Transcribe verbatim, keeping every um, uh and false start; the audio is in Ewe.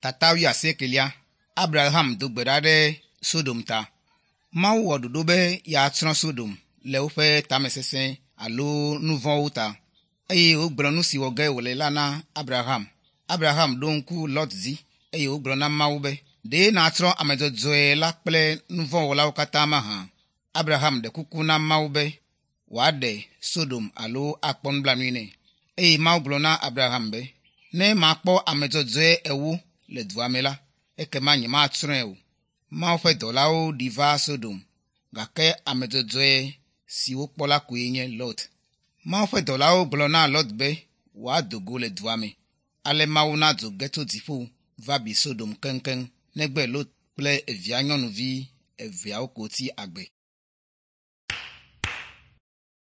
Tata wuiasiekelia Abraham do gbe ɖa ɖe Sodom ta. Mawu wɔ ɖoɖo be yeatsrɔ̃ Sodom le woƒe tamesesẽ alo nu vɔ̃wo ta eye wògblɔ nu si wɔ ge wòle la na Abraham. Abraham ɖo ŋku Lot dzi eye wògblɔ na Mawu be, ɖe nàtsrɔ̃ ame dzɔdzɔe la kple nu vɔ̃ wɔlawo katã mahã? Abraham ɖe kuku na Mawu be wòaɖe Sodom alo akpɔ nublanui nɛ. Eye Mawu gblɔ na Abraham be, ne makpɔ ame dzɔdzɔe ewo le dua me la, ekema nyematsrɔ̃e o. Mawu ƒe dɔlawo ɖi va Sodom gake ame dzɔdzɔe si wokpɔ la koe nye Lot. Mawu ƒe dɔlawo gblɔ na Lot be wòado go le dua me. Ale Mawu na dzo ge tso dziƒo va bi Sodom keŋkeŋ negbe Lot kple evia nyɔnuvi eveawo ko tsi agbe.